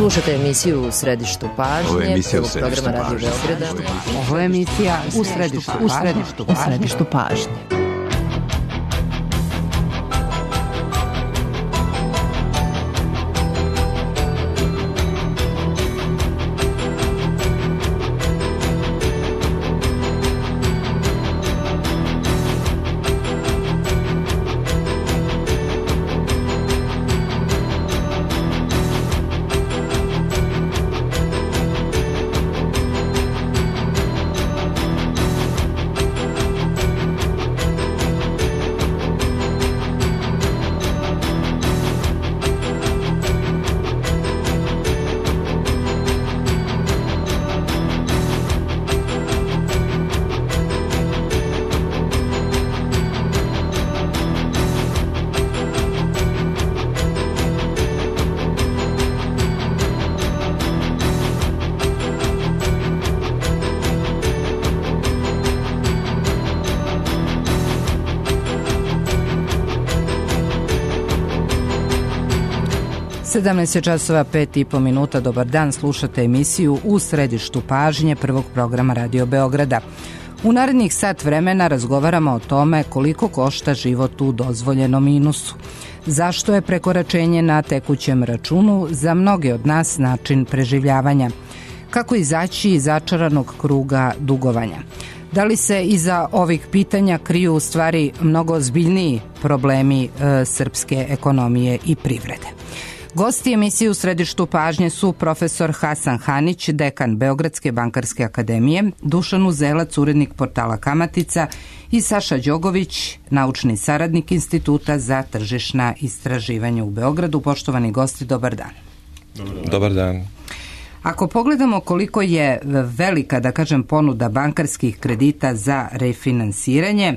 Slušate emisiju U središtu pažnje. Ovo je emisija U središtu pažnje. Ovo je emisija U središtu pažnje. časova 5:05. Dobar dan, slušate emisiju U središtu pažnje prvog programa Radio Beograda. U narednih sat vremena razgovaramo o tome koliko košta život u dozvoljenom minusu. Zašto je prekoračenje na tekućem računu za mnoge od nas način preživljavanja? Kako izaći iz začaranog kruga dugovanja? Da li se iza ovih pitanja kriju u stvari mnogo ozbiljniji problemi srpske ekonomije i privrede? Gosti emisije U središtu pažnje su profesor Hasan Hanić, dekan Beogradske bankarske akademije, Dušan Uzelac, urednik portala Kamatica i Saša Đogović, naučni saradnik Instituta za tržišna istraživanja u Beogradu. Poštovani gosti, dobar dan. Dobar dan. Ako pogledamo koliko je velika, da kažem, ponuda bankarskih kredita za refinansiranje,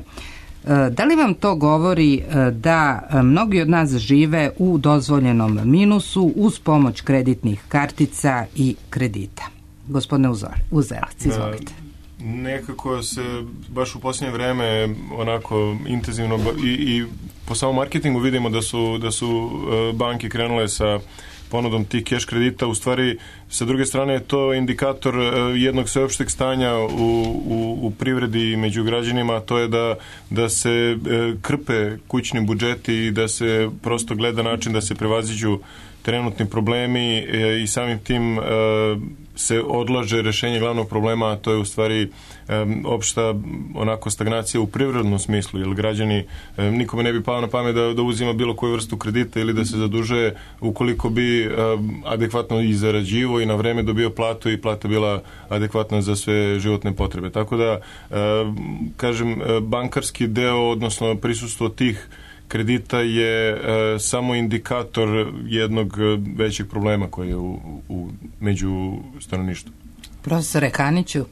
da li vam to govori da mnogi od nas žive u dozvoljenom minusu uz pomoć kreditnih kartica i kredita? Gospodine Uzelac, izvolite. Nekako se baš u posljednje vreme onako intenzivno i po samom marketingu vidimo da su banke krenule sa ponudom tih cash kredita. U stvari, sa druge strane je to indikator jednog sveopšteg stanja u privredi i među građanima, to je da se krpe kućni budžeti i da se prosto gleda način da se prevaziđu trenutni problemi i samim tim se odlaže rešenje glavnog problema, a to je u stvari opšta onako stagnacija u privrednom smislu, jer građani, nikome ne bi pao na pamet da uzima bilo koju vrstu kredita ili da se zadužuje ukoliko bi adekvatno i zarađivo i na vreme dobio platu i plata bila adekvatna za sve životne potrebe. Tako da, kažem, bankarski deo, odnosno prisustvo tih kredita je samo indikator jednog većeg problema koji je među stanovništvom. Profesore Haniću,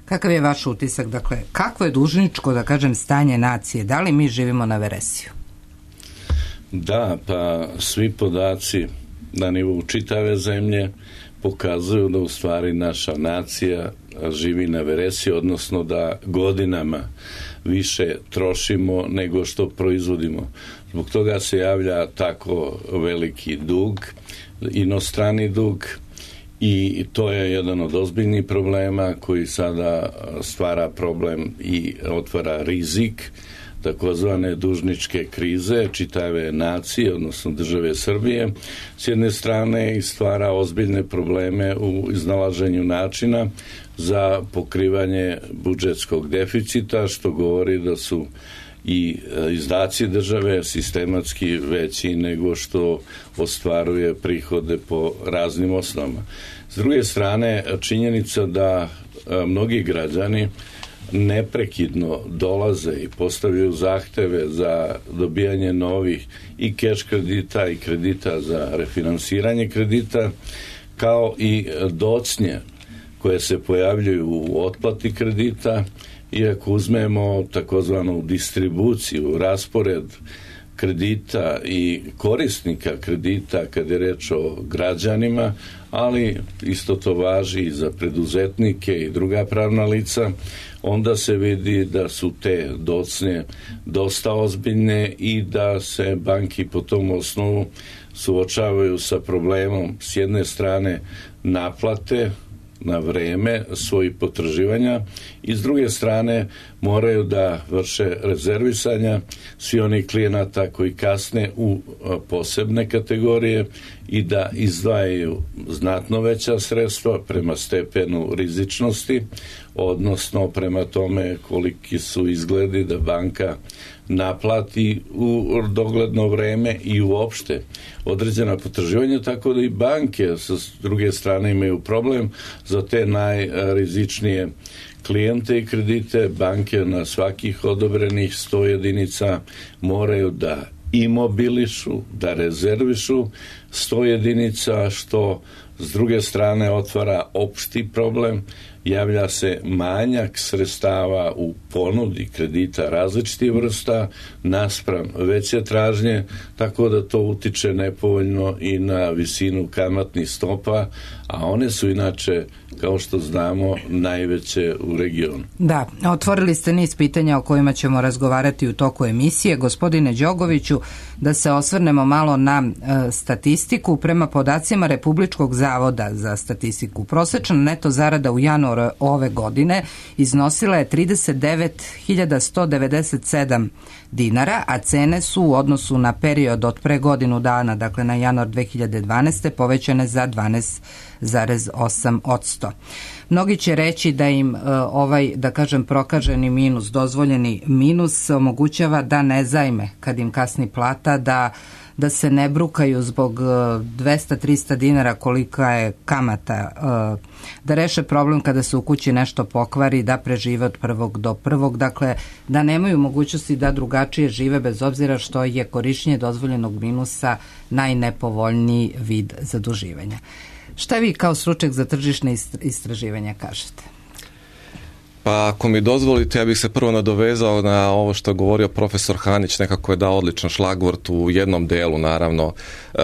kakav je vaš utisak? Dakle, kakvo je dužničko, da kažem, stanje nacije? Da li mi živimo na veresiju? Da, pa svi podaci na nivou čitave zemlje pokazuju da u stvari naša nacija živi na veresiju, odnosno da godinama više trošimo nego što proizvodimo. Zbog toga se javlja tako veliki dug, inostrani dug, i to je jedan od ozbiljnih problema koji sada stvara problem i otvara rizik takozvane dužničke krize čitave nacije, odnosno države Srbije, s jedne strane, i stvara ozbiljne probleme u iznalaženju načina za pokrivanje budžetskog deficita, što govori da su i izdaci države sistematski veći nego što ostvaruje prihode po raznim osnovama. S druge strane, činjenica da mnogi građani neprekidno dolaze i postavljaju zahteve za dobijanje novih i cash kredita i kredita za refinansiranje kredita, kao i docnje koje se pojavljuju u otplati kredita, i ako uzmemo takozvanu distribuciju, raspored kredita i korisnika kredita kad je reč o građanima, ali isto to važi i za preduzetnike i druga pravna lica, onda se vidi da su te docnje dosta ozbiljne i da se banki po tom osnovu suočavaju sa problemom s jedne strane naplate na vreme svojih potraživanja i s druge strane moraju da vrše rezervisanja svi oni klijenata koji kasne u posebne kategorije i da izdvajaju znatno veća sredstva prema stepenu rizičnosti, odnosno prema tome koliki su izgledi da banka naplati u dogledno vreme i uopšte određena potraživanja, tako da i banke sa druge strane imaju problem za te najrizičnije klijente i kredite. Banke na svakih odobrenih 100 jedinica moraju da imobilišu, da rezervišu 100 jedinica, što s druge strane otvara opšti problem, javlja se manjak sredstava u ponudi kredita različitih vrsta naspram veće tražnje, tako da to utiče nepovoljno i na visinu kamatnih stopa, a one su inače, kao što znamo, najveće u regionu. Da, otvorili ste niz pitanja o kojima ćemo razgovarati u toku emisije. Gospodine Đogoviću, da se osvrnemo malo na statistiku. Prema podacima Republičkog zavoda za statistiku, prosečna neto zarada u januaru ove godine iznosila je 39.197 dinara, a cene su u odnosu na period od pre godinu dana, dakle na januar 2012. povećane za 12,8%. Mnogi će reći da im ovaj, da kažem, prokaženi minus, dozvoljeni minus omogućava da ne zajme kad im kasni plata, da se ne brukaju zbog 200-300 dinara kolika je kamata, da reše problem kada se u kući nešto pokvari, da prežive od prvog do prvog, dakle da nemaju mogućnosti da drugačije žive bez obzira što je korišćenje dozvoljenog minusa najnepovoljniji vid zaduživanja. Šta vi kao stručnjak za tržišne istraživanja kažete? Pa ako mi dozvolite, ja bih se prvo nadovezao na ovo što je govorio profesor Hanić, nekako je dao odličan šlagvort u jednom delu, naravno,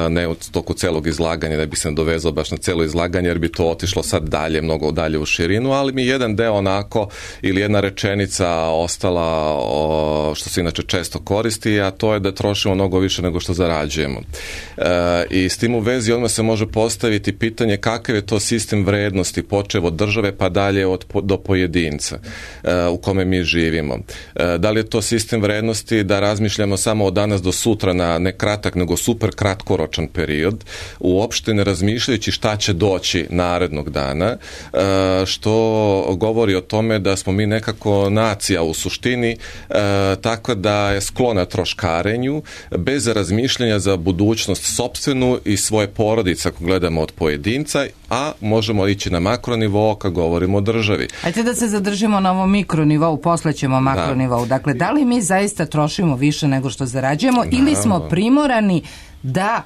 ne u toku celog izlaganja, ne bih se nadovezao baš na celo izlaganje, jer bi to otišlo sad dalje, mnogo dalje u širinu, ali mi jedan deo onako, ili jedna rečenica ostala, što se inače često koristi, a to je da trošimo mnogo više nego što zarađujemo. I s tim u vezi odmah se može postaviti pitanje kakav je to sistem vrednosti, počev od države pa dalje do pojedinca u kome mi živimo. Da li je to sistem vrednosti da razmišljamo samo od danas do sutra na ne kratak nego super kratkoročan period, uopšte ne razmišljajući šta će doći narednog dana, što govori o tome da smo mi nekako nacija u suštini, tako da je sklona troškarenju bez razmišljanja za budućnost sopstvenu i svoje porodice ako gledamo od pojedinca, a možemo ići na makronivo kad govorimo o državi. Ajde da se zadržimo na ovom mikronivou, posle ćemo makronivou. Dakle, da li mi zaista trošimo više nego što zarađujemo ili smo primorani da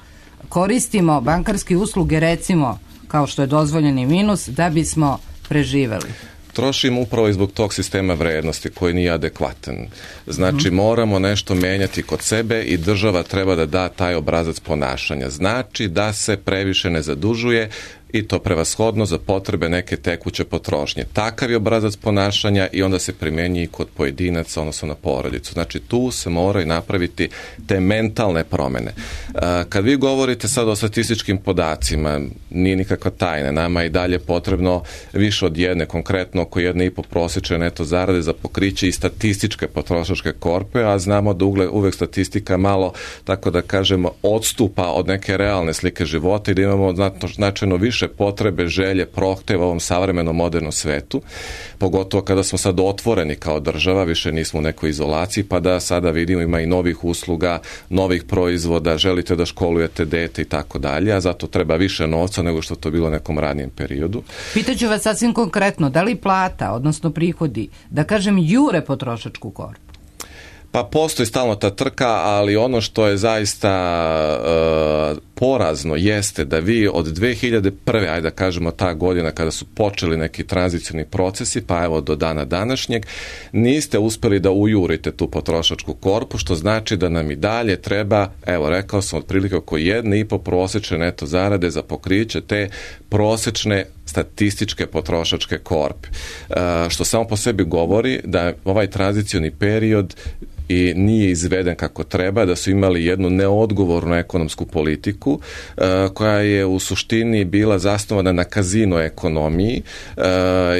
koristimo bankarske usluge, recimo, kao što je dozvoljeni minus, da bismo preživeli? Trošimo upravo i zbog tog sistema vrednosti koji nije adekvatan. Znači, moramo nešto menjati kod sebe i država treba da da taj obrazac ponašanja. Znači da se previše ne zadužuje i to prevashodno za potrebe neke tekuće potrošnje. Takav je obrazac ponašanja i onda se primjenjuje i kod pojedinaca, odnosno na porodicu. Znači tu se moraju napraviti te mentalne promene. Kad vi govorite sad o statističkim podacima, nije nikakva tajna, nama je i dalje potrebno više od jedne, konkretno oko 1,5 prosječne neto zarade za pokriće i statističke potrošačke korpe, a znamo da uvek statistika malo, tako da kažemo, odstupa od neke realne slike života i da imamo značajno više potrebe, želje, prohteva u ovom savremenom modernom svetu, pogotovo kada smo sad otvoreni kao država, više nismo u nekoj izolaciji, pa da sada vidimo ima i novih usluga, novih proizvoda, želite da školujete dete i tako dalje, a zato treba više novca nego što to bilo u nekom ranijem periodu. Pitaću vas sasvim konkretno, da li plata, odnosno prihodi, da kažem, jure potrošačku korpu? Pa postoji stalno ta trka, ali ono što je zaista porazno jeste da vi od 2001. ajde da kažemo ta godina kada su počeli neki tranzicioni procesi, pa evo do dana današnjeg, niste uspeli da ujurite tu potrošačku korpu, što znači da nam i dalje treba, evo rekao sam, otprilike oko 1,5 prosječne neto zarade za pokriće te prosječne statističke potrošačke korpe. Što samo po sebi govori da ovaj tranzicioni period i nije izveden kako treba, da su imali jednu neodgovornu ekonomsku politiku koja je u suštini bila zasnovana na kazino ekonomiji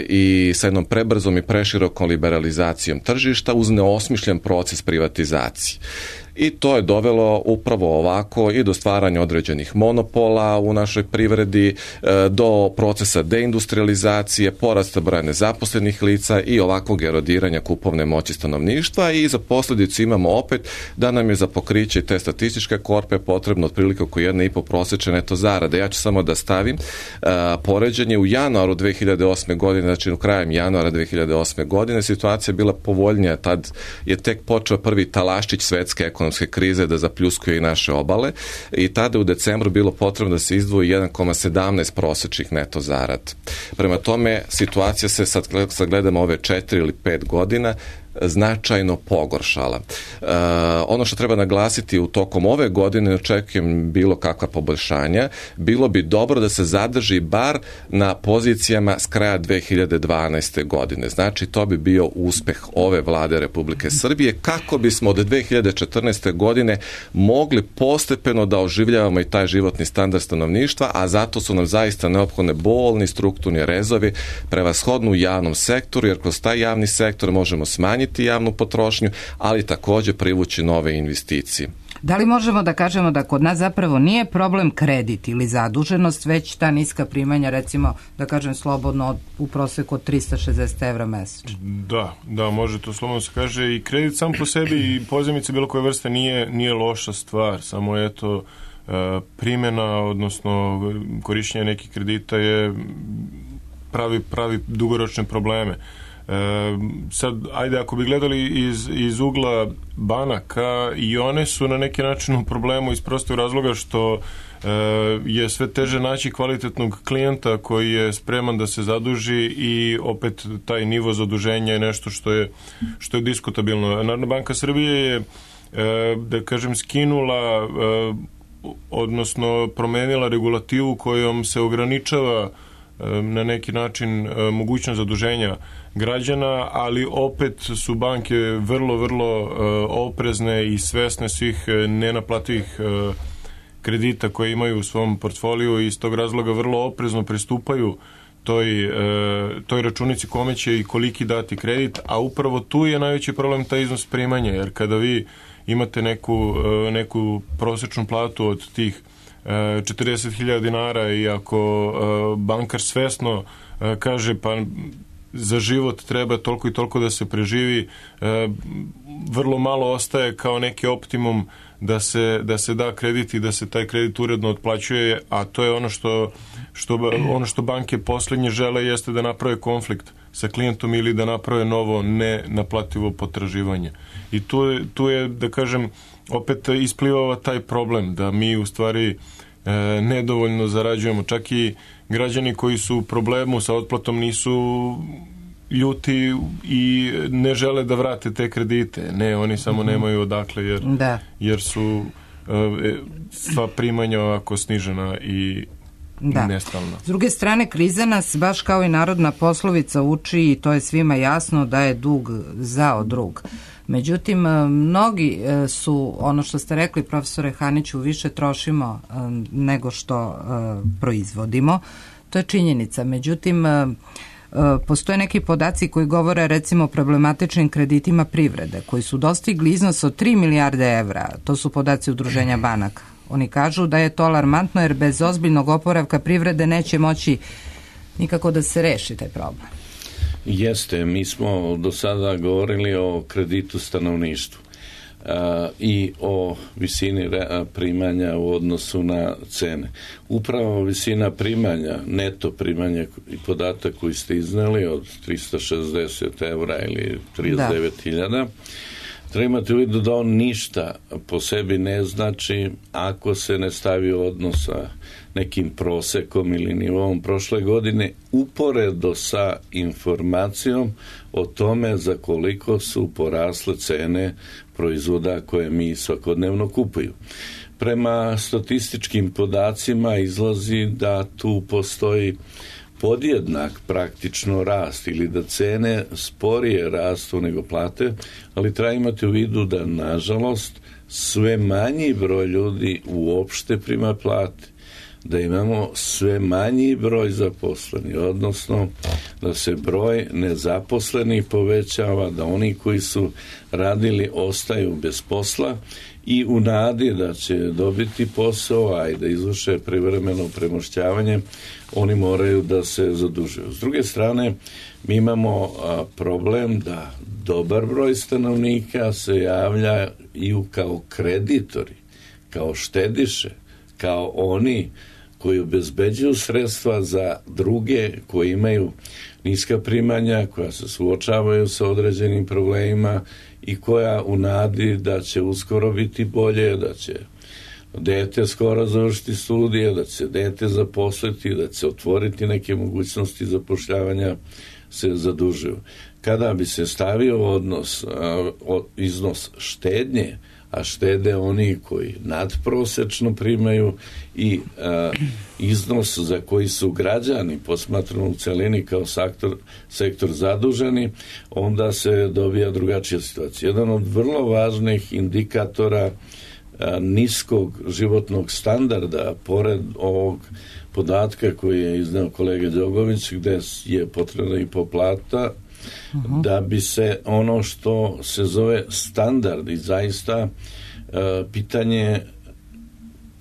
i sa jednom prebrzom i preširokom liberalizacijom tržišta uz neosmišljen proces privatizacije. I to je dovelo upravo ovako i do stvaranja određenih monopola u našoj privredi, do procesa deindustrializacije, porasta broja nezaposlenih lica i ovakvog erodiranja kupovne moći stanovništva i za posljedicu imamo opet da nam je za pokriće te statističke korpe potrebno otprilike oko 1,5 prosječne neto zarade. Ja ću samo da stavim poređenje u januaru 2008. godine, znači u krajem januara 2008. godine situacija je bila povoljnija, tad je tek počeo prvi talaščić svetske ekonomske krize da zapljuskuje i naše obale i tada u decembru bilo potrebno da se izdvoji 1,17 prosječnih neto zarada. Prema tome, situacija se sad gledamo ove 4 ili 5 godina značajno pogoršala. Ono što treba naglasiti u tokom ove godine, ne očekujem bilo kakva poboljšanja, bilo bi dobro da se zadrži bar na pozicijama s kraja 2012. godine. Znači, to bi bio uspeh ove vlade Republike Srbije, kako bismo od 2014. godine mogli postepeno da oživljavamo i taj životni standard stanovništva, a zato su nam zaista neophodne bolni strukturni rezovi, prevashodno u javnom sektoru, jer kroz taj javni sektor možemo smanjiti javnu potrošnju, ali također privući nove investicije. Da li možemo da kažemo da kod nas zapravo nije problem kredit ili zaduženost, već ta niska primanja, recimo, da kažem slobodno, u proseku od 360 evra mesečno? Da, može to slobodno se kaže. I kredit sam po sebi i pozajmice bilo koje vrste nije loša stvar, samo eto primjena, odnosno korištenje nekih kredita je pravi dugoročne probleme. Sad, ajde, ako bi gledali iz ugla banaka, i one su na neki način u problemu iz prostog razloga što je sve teže naći kvalitetnog klijenta koji je spreman da se zaduži i opet taj nivo zaduženja je nešto što je diskutabilno. Narodna banka Srbije je, da kažem, skinula, odnosno promenila regulativu kojom se ograničava na neki način mogućnost zaduženja građana, ali opet su banke vrlo oprezne i svesne svih nenaplativih kredita koje imaju u svom portfoliju i iz tog razloga vrlo oprezno pristupaju toj računici kome će i koliki dati kredit, a upravo tu je najveći problem taj iznos primanja, jer kada vi imate neku prosječnu platu od tih 40.000 dinara i ako bankar svesno kaže pa za život treba toliko i toliko da se preživi, vrlo malo ostaje kao neki optimum da se da kredit i da se taj kredit uredno otplaćuje, a to je ono što banke posljednje žele, jeste da naprave konflikt sa klijentom ili da naprave novo nenaplativo potraživanje. I tu je, da kažem, opet isplivava taj problem da mi u stvari nedovoljno zarađujemo. Čak i građani koji su u problemu sa otplatom nisu ljuti i ne žele da vrate te kredite. Ne, oni samo nemaju odakle jer su sva primanja ovako snižena i nestalna. S druge strane, kriza nas, baš kao i narodna poslovica, uči, i to je svima jasno, da je dug zao drug. Međutim, mnogi su, ono što ste rekli, profesore Haniću, više trošimo nego što proizvodimo. To je činjenica. Međutim, postoje neki podaci koji govore, recimo, o problematičnim kreditima privrede, koji su dostigli iznos od 3 milijarde evra. To su podaci Udruženja banaka. Oni kažu da je to alarmantno, jer bez ozbiljnog oporavka privrede neće moći nikako da se reši taj problem. Jeste, mi smo do sada govorili o kreditu stanovništvu i o visini primanja u odnosu na cene. Upravo visina primanja, neto primanja i podatak koji ste iznali od 360 evra ili 39.000, Treba imati u vidu da on ništa po sebi ne znači ako se ne stavi u odnos sa nekim prosekom ili nivom prošle godine uporedo sa informacijom o tome za koliko su porasle cene proizvoda koje mi svakodnevno kupuju. Prema statističkim podacima izlazi da tu postoji podjednak praktično rast ili da cene sporije rastu nego plate, ali treba imati u vidu da nažalost sve manji broj ljudi uopšte prima plate, da imamo sve manji broj zaposlenih, odnosno da se broj nezaposlenih povećava, da oni koji su radili ostaju bez posla i u nadi da će dobiti posao, a i da izvrše privremeno premošćavanje, oni moraju da se zadužuju. S druge strane, mi imamo problem da dobar broj stanovnika se javljaju kao kreditori, kao štediše, kao oni koji obezbeđuju sredstva za druge koji imaju niska primanja, koja se suočavaju sa određenim problemima i koja u nadi da će uskoro biti bolje, da će dete skoro završiti studije, da će dete zaposliti, da će otvoriti neke mogućnosti zapošljavanja, se zadužuju. Kada bi se stavio iznos štednje, a štede oni koji nadprosečno primaju i iznos za koji su građani posmatrano u celini kao sektor zaduženi, onda se dobija drugačija situacija. Jedan od vrlo važnih indikatora niskog životnog standarda, pored ovog podatka koji je izneo kolega Đogović, gde je potrebna i poplata, da bi se ono što se zove standard i zaista pitanje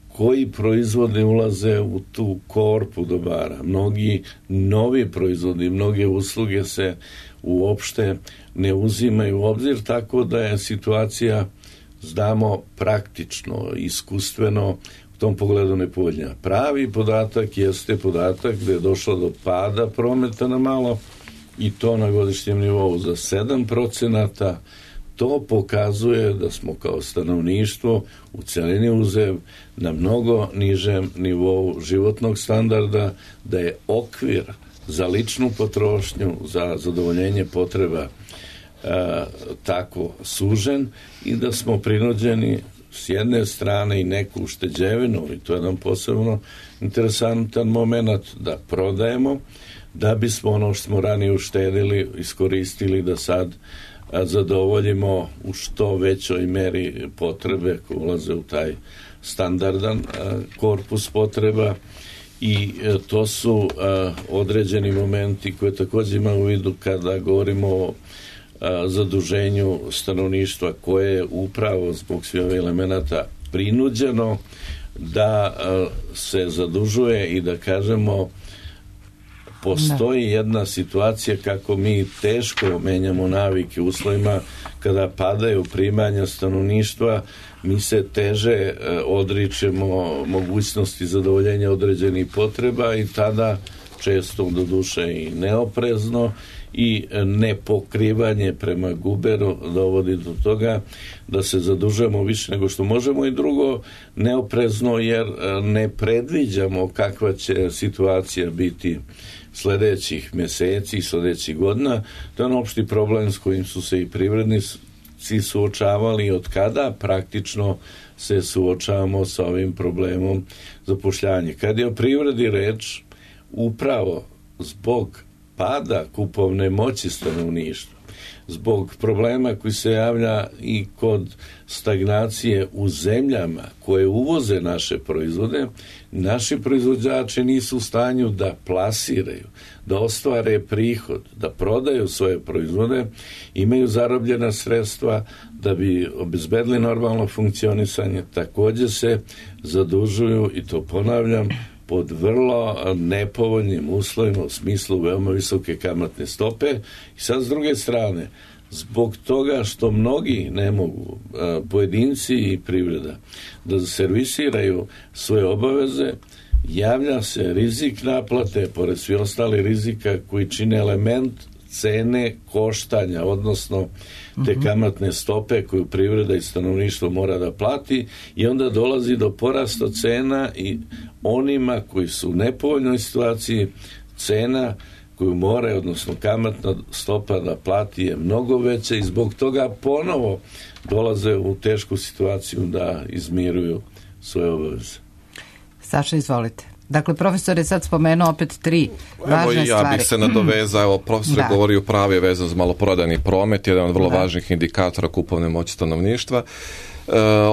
koji proizvodi ulaze u tu korpu dobara. Mnogi novi proizvodi, mnoge usluge se uopšte ne uzimaju u obzir, tako da je situacija, znamo, praktično, iskustveno u tom pogledu nepovoljna. Pravi podatak jeste podatak gde je došlo do pada prometa na malo i to na godišnjem nivou za 7%. To pokazuje da smo kao stanovništvo u celini uzev na mnogo nižem nivou životnog standarda, da je okvir za ličnu potrošnju, za zadovoljenje potreba tako sužen i da smo prinuđeni s jedne strane i neku ušteđevinu, i to je jedan posebno interesantan moment, da prodajemo, da bismo ono što smo ranije uštedili iskoristili da sad zadovoljimo u što većoj meri potrebe koje ulaze u taj standardan korpus potreba i to su određeni momenti koje također imamo u vidu kada govorimo o zaduženju stanovništva koje je upravo zbog svih ovih elemenata prinuđeno da se zadužuje i da kažemo postoji jedna situacija kako mi teško menjamo navike u uslovima kada padaju primanja stanovništva, mi se teže odričemo mogućnosti zadovoljenja određenih potreba i tada često do duše i neoprezno i nepokrivanje prema guberu dovodi do toga da se zadužujemo više nego što možemo i drugo neoprezno jer ne predviđamo kakva će situacija biti sledećih meseci i sledećih godina. To je opšti problem s kojim su se i privrednici suočavali od kada praktično se suočavamo sa ovim problemom zapošljavanja. Kad je o privredi reč, upravo zbog pada kupovne moći stanovništva, zbog problema koji se javlja i kod stagnacije u zemljama koje uvoze naše proizvode, naši proizvođači nisu u stanju da plasiraju, da ostvare prihod, da prodaju svoje proizvode, imaju zarobljena sredstva da bi obezbedili normalno funkcionisanje, također se zadužuju i to ponavljam, pod vrlo nepovoljnim uslovima u smislu veoma visoke kamatne stope i sad s druge strane zbog toga što mnogi ne mogu, pojedinci i privreda, da servisiraju svoje obaveze, javlja se rizik naplate, pored svi ostali rizika koji čine element cene koštanja, odnosno te kamatne stope koju privreda i stanovništvo mora da plati, i onda dolazi do porasta cena i onima koji su u nepovoljnoj situaciji cena koju more, odnosno kamatna stopa da plati je mnogo veća i zbog toga ponovo dolaze u tešku situaciju da izmiruju svoje obaveze. Saša, izvolite. Dakle, profesor je sad spomenuo opet tri važne stvari. Ja bih se nadovezao, evo, profesor je govorio pravi vezan za maloprodajni promet, jedan od vrlo važnih indikatora kupovne moći stanovništva.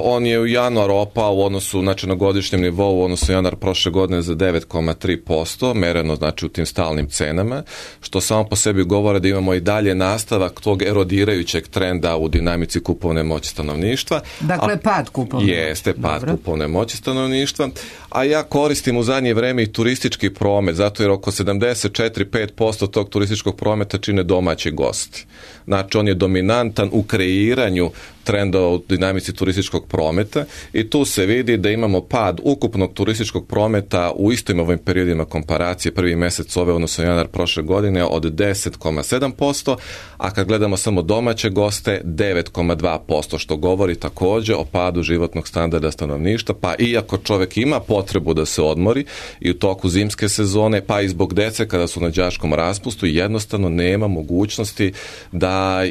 On je u januaru opao u odnosu, znači na godišnjem nivou u odnosu januar prošle godine za 9,3%, mereno znači u tim stalnim cenama, što samo po sebi govore da imamo i dalje nastavak tog erodirajućeg trenda u dinamici kupovne moći stanovništva. Dakle, pad kupovne moći. Jeste, pad kupovne moći stanovništva. A ja koristim u zadnje vreme i turistički promet, zato jer oko 74-5% tog turističkog prometa čine domaći gosti. Znači, on je dominantan u kreiranju trenda u dinamici turističkog prometa i tu se vidi da imamo pad ukupnog turističkog prometa u istim ovim periodima komparacije prvi mjesec ove odnosno januar prošle godine od 10,7%, a kad gledamo samo domaće goste 9,2%, što govori također o padu životnog standarda stanovništva, pa iako čovjek ima potrebu da se odmori i u toku zimske sezone, pa i zbog dece kada su na đačkom raspustu, jednostavno nema mogućnosti da,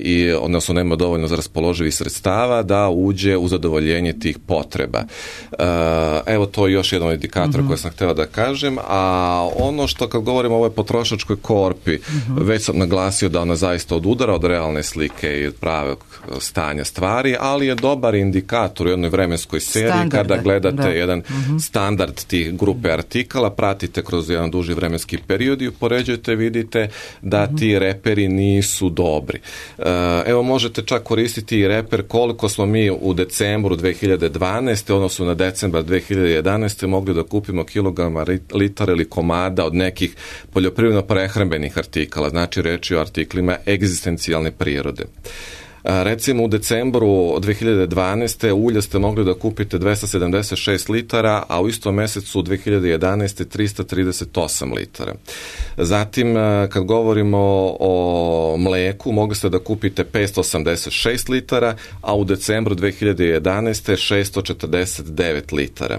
odnosno nema dovoljno za raspoloživih sredstava da uđe u zadovoljenje tih potreba. Evo, to je još jedan indikator koji sam htio da kažem, a ono što kad govorimo o ovoj potrošačkoj korpi, već sam naglasio da ona zaista odudara od realne slike i od pravog stanja stvari, ali je dobar indikator u jednoj vremenskoj seriji kada gledate jedan standard tih grupe artikala, pratite kroz jedan duži vremenski period i upoređujete, vidite da ti reperi nisu dobri. Evo, možete čak koristiti i reper koliko smo mi u decembru 2012. odnosno na decembar 2011. mogli da kupimo kilograma, litara ili komada od nekih poljoprivredno-prehrambenih artikala, znači reč je o artiklima egzistencijalne prirode. Recimo u decembru 2012. ulja ste mogli da kupite 276 litara, a u istom mjesecu 2011. 338 litara. Zatim, kad govorimo o mleku, mogli ste da kupite 586 litara, a u decembru 2011. 649 litara.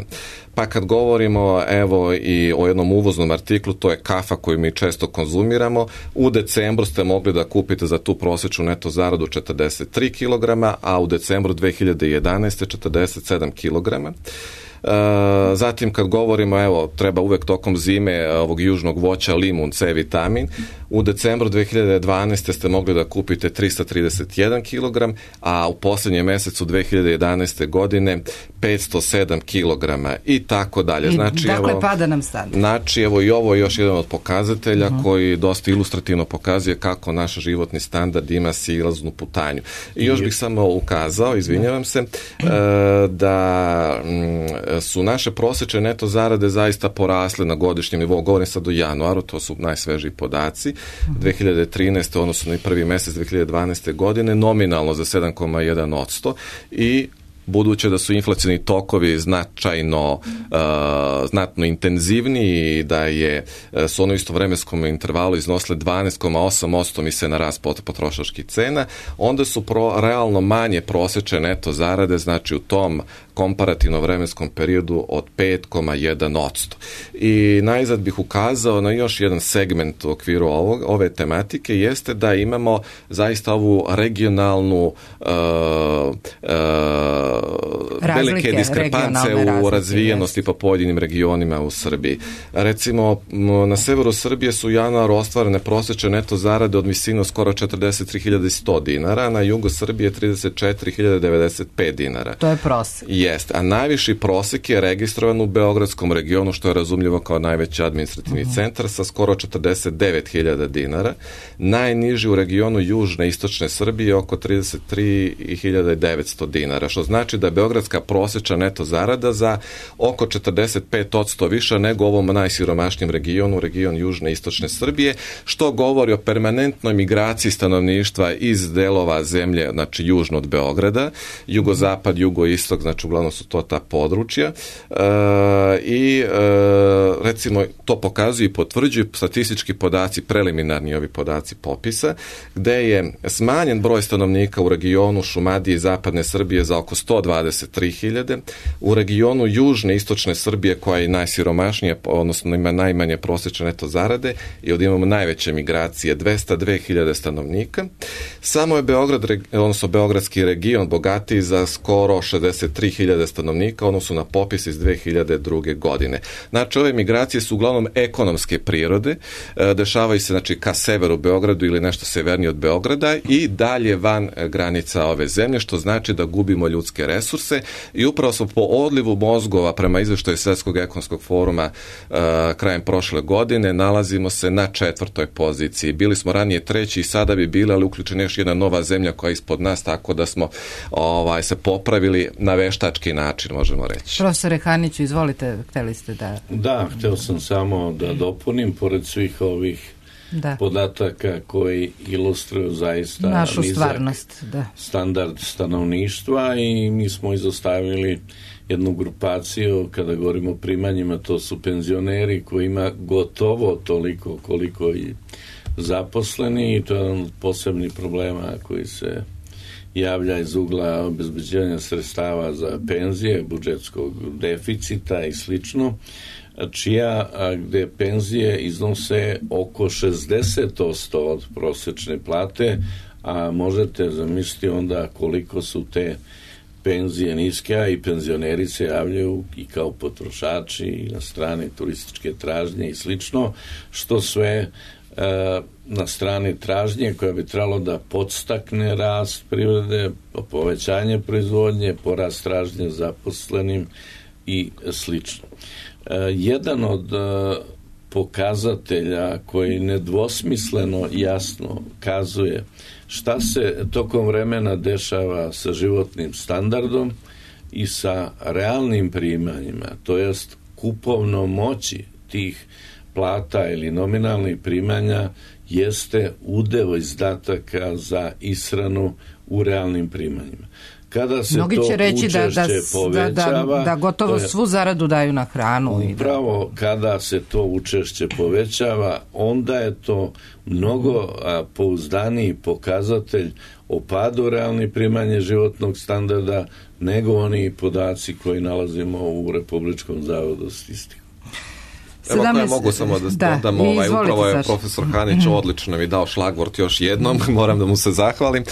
Pa kad govorimo evo i o jednom uvoznom artiklu, to je kafa koju mi često konzumiramo, u decembru ste mogli da kupite za tu prosječnu neto zaradu 43 kg, a u decembru 2011. 47 kg. Zatim kad govorimo, evo, treba uvek tokom zime ovog južnog voća limun, C vitamin, u decembru 2012. ste mogli da kupite 331 kg, a u posljednjem mjesecu 2011. godine 507 kg i tako dalje. Znači, dakle, pada nam standard. Znači, evo, i ovo je još jedan od pokazatelja koji dosta ilustrativno pokazuje kako naš životni standard ima silaznu putanju. I još bih samo ukazao, izvinjavam se, da su naše prosječne neto zarade zaista porasle na godišnjem nivou. Govorim sad o januaru, to su najsvežiji podaci. 2013. odnosno i prvi mjesec 2012. godine nominalno za 7,1% i buduće da su inflacioni tokovi znatno intenzivniji i da su ono isto vremenskom intervalu iznosile 12,8% misle na rast potrošačkih cena, onda su realno manje prosječne neto zarade, znači u tom komparativno vremenskom periodu od 5,1%. I najzad bih ukazao na još jedan segment u okviru ove tematike, jeste da imamo zaista ovu regionalnu velike diskrepance u razvijenosti po pojedinim regionima u Srbiji. Recimo, na severu Srbije su u januaru ostvarene prosječne neto zarade od visine skoro 43.100 dinara, na jugu Srbije 34.095 dinara. To je prosek. Jest, a najviši prosek je registrovan u Beogradskom regionu, što je razumljivo kao najveći administrativni centar, sa skoro 49.000 dinara. Najniži u regionu južne i istočne Srbije oko 33.900 dinara, što znači da je beogradska prosječna neto zarada za oko 45% više nego ovom najsiromašnijem regionu, region južne i istočne Srbije, što govori o permanentnoj migraciji stanovništva iz delova zemlje, znači južno od Beograda, jugozapad, jugoistok, znači uglavnom su to ta područja i recimo to pokazuju i potvrđuju statistički podaci, preliminarni ovi podaci popisa, gde je smanjen broj stanovnika u regionu Šumadije i zapadne Srbije za oko 123.000, u regionu južne i istočne Srbije koja je najsiromašnija, odnosno ima najmanje prosječne neto zarade i ovdje imamo najveće migracije, 202.000 stanovnika. Samo je Beograd, odnosno Beogradski region bogatiji za skoro 63.000 stanovnika, odnosno na popis iz 2002. godine. Znači, ove migracije su uglavnom ekonomske prirode, dešavaju se znači ka severu Beogradu ili nešto severnije od Beograda i dalje van granica ove zemlje, što znači da gubimo ljudske resurse i upravo smo po odlivu mozgova prema izveštaju Svjetskog ekonomskog foruma krajem prošle godine nalazimo se na 4. poziciji. Bili smo ranije 3. i sada bi bili, ali uključena još jedna nova zemlja koja je ispod nas, tako da smo se popravili na veštački način, možemo reći. Profesore Haniću, izvolite, hteli ste da... Da, hteo sam samo da dopunim, pored svih ovih podataka koji ilustruju zaista našu stvarnost, standard stanovništva i mi smo izostavili jednu grupaciju, kada govorimo o primanjima, to su penzioneri koji ima gotovo toliko koliko i zaposleni i to je jedan od posebnih problema koji se javlja iz ugla obezbeđivanja sredstava za penzije, budžetskog deficita i slično, gde penzije iznose oko 60% od prosječne plate, a možete zamisliti onda koliko su te penzije niske, a i penzioneri se javljaju i kao potrošači i na strani turističke tražnje i slično, što sve na strani tražnje koja bi trebalo da podstakne rast privrede, povećanje proizvodnje, porast tražnje zaposlenim i slično. Jedan od pokazatelja koji nedvosmisleno jasno kazuje šta se tokom vremena dešava sa životnim standardom i sa realnim primanjima, to jest kupovnom moći tih plata ili nominalnih primanja, jeste udeo izdataka za ishranu u realnim primanjima. Kada se mnogi će reći da gotovo svu zaradu daju na hranu. Upravo kada se to učešće povećava, onda je to mnogo pouzdaniji pokazatelj o padu realnih primanja životnog standarda nego oni podaci koji nalazimo u Republičkom zavodu statistiku. Evo ako ja mogu samo da dodam, upravo je profesor Hanić odlično mi dao šlagvort još jednom, moram da mu se zahvalim.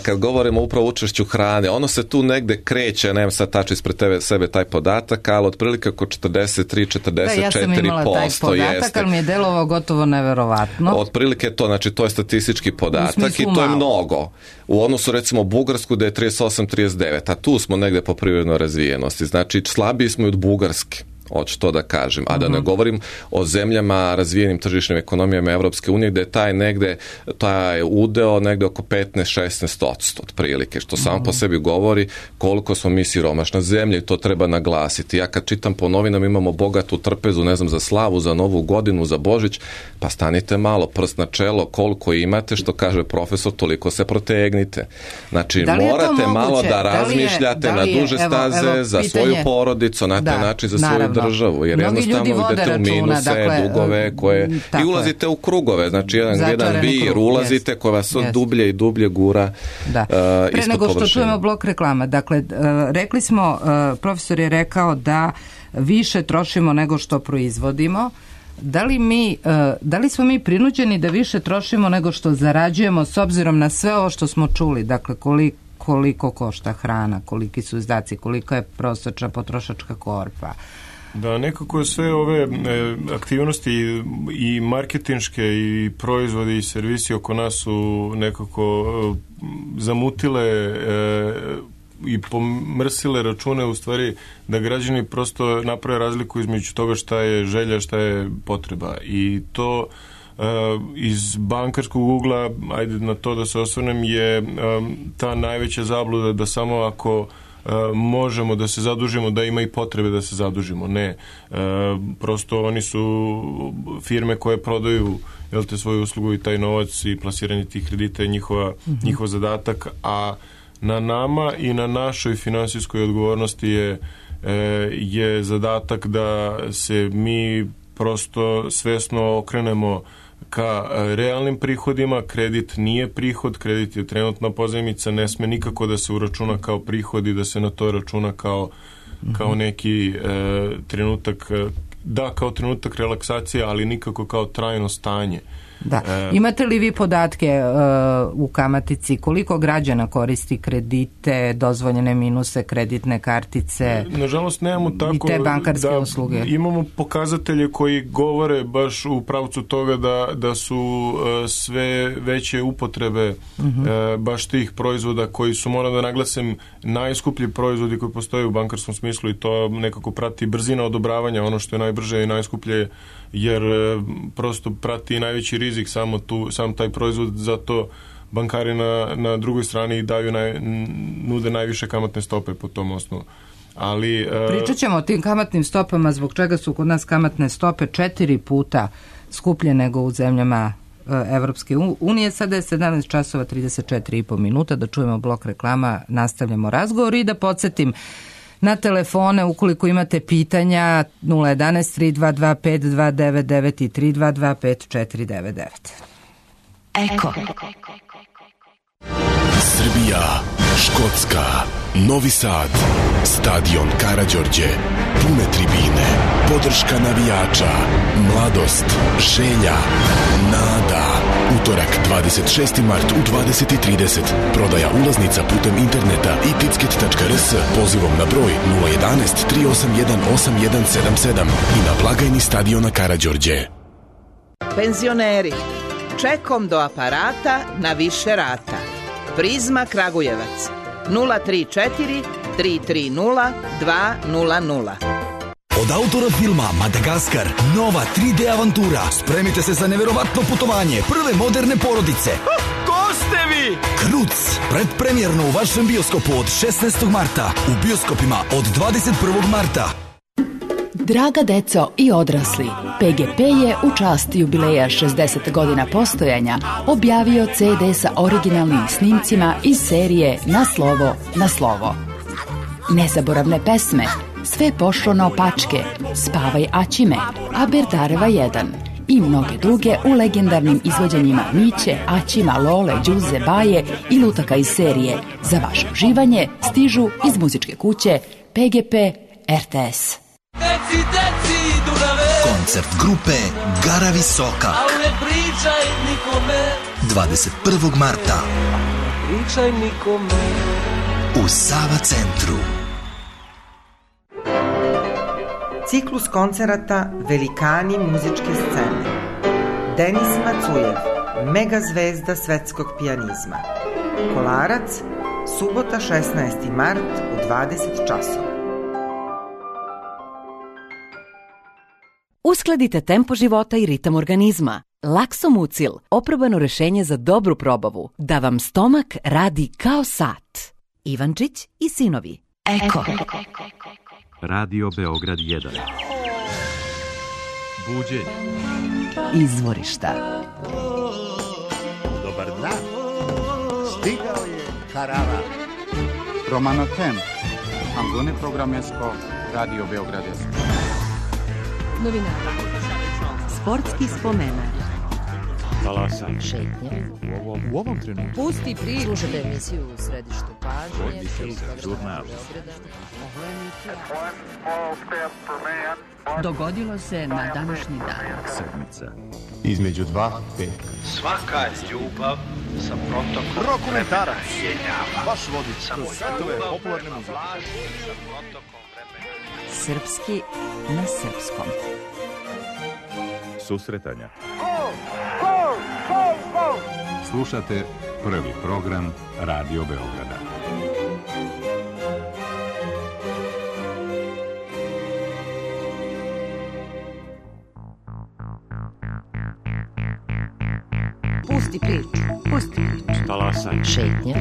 Kad govorimo upravo o učešću hrane, ono se tu negde kreće, nemam sad tačno ispred sebe taj podatak, ali otprilike oko 43-44%. Ja sam imala taj podatak, ali mi je delovao gotovo neverovatno. Otprilike to, znači to je statistički podatak i to je mnogo. U odnosu recimo Bugarsku da je 38-39, a tu smo negde po privrednoj razvijenosti, znači slabiji smo i od Bugarske. Hoću to da kažem, a da ne govorim o zemljama razvijenim tržišnim ekonomijama Evropske unije gde je taj udeo negde oko 15-16% otprilike, što samo po sebi govori koliko smo mi siromašna zemlja i to treba naglasiti. Ja kad čitam po novinama imamo bogatu trpezu, ne znam, za slavu, za Novu godinu, za Božić, pa stanite malo, prst na čelo, koliko imate, što kaže profesor, toliko se protegnite. Znači, morate malo da razmišljate na duže staze za svoju porodicu, na taj način za svoju državu, jer jednostavno idete u minuse, dugove koje i ulazite u krugove, znači jedan vir ulazite koji vas od dublje i dublje gura ispod površine. Pre nego što čujemo blok reklama, dakle, rekli smo, profesor je rekao da više trošimo nego što proizvodimo. Da li smo mi prinuđeni da više trošimo nego što zarađujemo s obzirom na sve ovo što smo čuli, dakle koliko košta hrana, koliki su izdaci, koliko je prosječna potrošačka korpa? Da, nekako sve ove aktivnosti i marketinške i proizvodi i servisi oko nas su nekako zamutile i pomrsile račune, u stvari da građani prosto naprave razliku između toga šta je želja, šta je potreba, i to iz bankarskog ugla, ajde na to da se osvrnem, je ta najveća zabluda da samo ako možemo da se zadužimo, da ima i potrebe da se zadužimo. Ne, prosto oni su firme koje prodaju svoju uslugu i taj novac i plasiranje tih kredita je njihov zadatak, a na nama i na našoj finansijskoj odgovornosti je zadatak da se mi prosto svesno okrenemo ka realnim prihodima. Kredit nije prihod, kredit je trenutna pozajmica, ne sme nikako da se uračuna kao prihod i da se na to računa kao neki trenutak, kao trenutak relaksacije, ali nikako kao trajno stanje. Da. Imate li vi podatke u Kamatici koliko građana koristi kredite, dozvoljene minuse, kreditne kartice? Nažalost nemamo tako i te bankarske usluge. Imamo pokazatelje koji govore baš u pravcu toga da su sve veće upotrebe baš tih proizvoda koji su, moram da naglasim, najskuplji proizvodi koji postoje u bankarskom smislu i to nekako prati brzina odobravanja, ono što je najbrže i najskuplje, jer prosto prati najveći rizik sam taj proizvod, zato bankari na drugoj strani nude najviše kamatne stope po tom osnovu. Ali pričat ćemo o tim kamatnim stopama, zbog čega su kod nas kamatne stope 4 puta skuplje nego u zemljama Evropske unije. Sada je 17 časova 34,5 minuta, da čujemo blok reklama, nastavljamo razgovor i da podsjetim na telefone, ukoliko imate pitanja, 011 322 5299 i 322 5499. Eko. Srbija, Škotska, Novi Sad, stadion Karađorđe, pune tribine, podrška navijača, mladost, želja, nada. Utorak 26. mart u 20:30. Prodaja ulaznica putem interneta i ticket.rs pozivom na broj 011 381 8177 i na blagajni stadiona Karađorđe. Penzioneri, čekom do aparata na više rata. Prizma Kragujevac 034 330 200. Od autora filma Madagaskar, nova 3D avantura. Spremite se za neverovatno putovanje prve moderne porodice. Ko ste vi? Kruc, predpremjerno u vašem bioskopu od 16. marta, u bioskopima od 21. marta. Draga deco i odrasli, PGP je u čast jubileja 60 godina postojanja objavio CD sa originalnim snimcima iz serije Na slovo, na slovo. Nezaboravne pesme, Sve pošlo naopačke, Spavaj Aćime, Aberdareva 1 i mnoge druge u legendarnim izvođenjima Miće, Aćima, Lole, Đuze, Baje i lutaka iz serije. Za vaše uživanje stižu iz muzičke kuće PGP RTS. Koncert grupe Gara Visoka 21. marta u Sava centru. Ciklus koncerata Velikani muzičke scene. Denis Macujev, mega zvezda svetskog pijanizma. Kolarac, subota 16. mart u 20 časova. Uskladite tempo života i ritam organizma. Laksomucil, oprobano rešenje za dobru probavu, da vam stomak radi kao sat. Ivančić i sinovi. Eko. Radio Beograd 1. Buđenje. Izvorišta. Dobar dan. Stigao je karavan. Romano Temp. Ambone programesko Radio Beograd 1. Novinara. Sportski spomenar. Talasan. Šetnje. U ovom trenutku. Pusti priču. Slušajte emisiju u središtu pažnje. Žurnal. Dogodilo se na današnji dan. Sedmica. Između dva petka. Svaka ljubav sa protokom Rokomentarac. vremena. Vaš vodič kroz svetove popularne muzike. Sa protokom vremena. Srpski na srpskom. Susretanja. Slušate prvi program Radio Beograda. Pusti priču. Pusti priču. Talasan. Šetnje.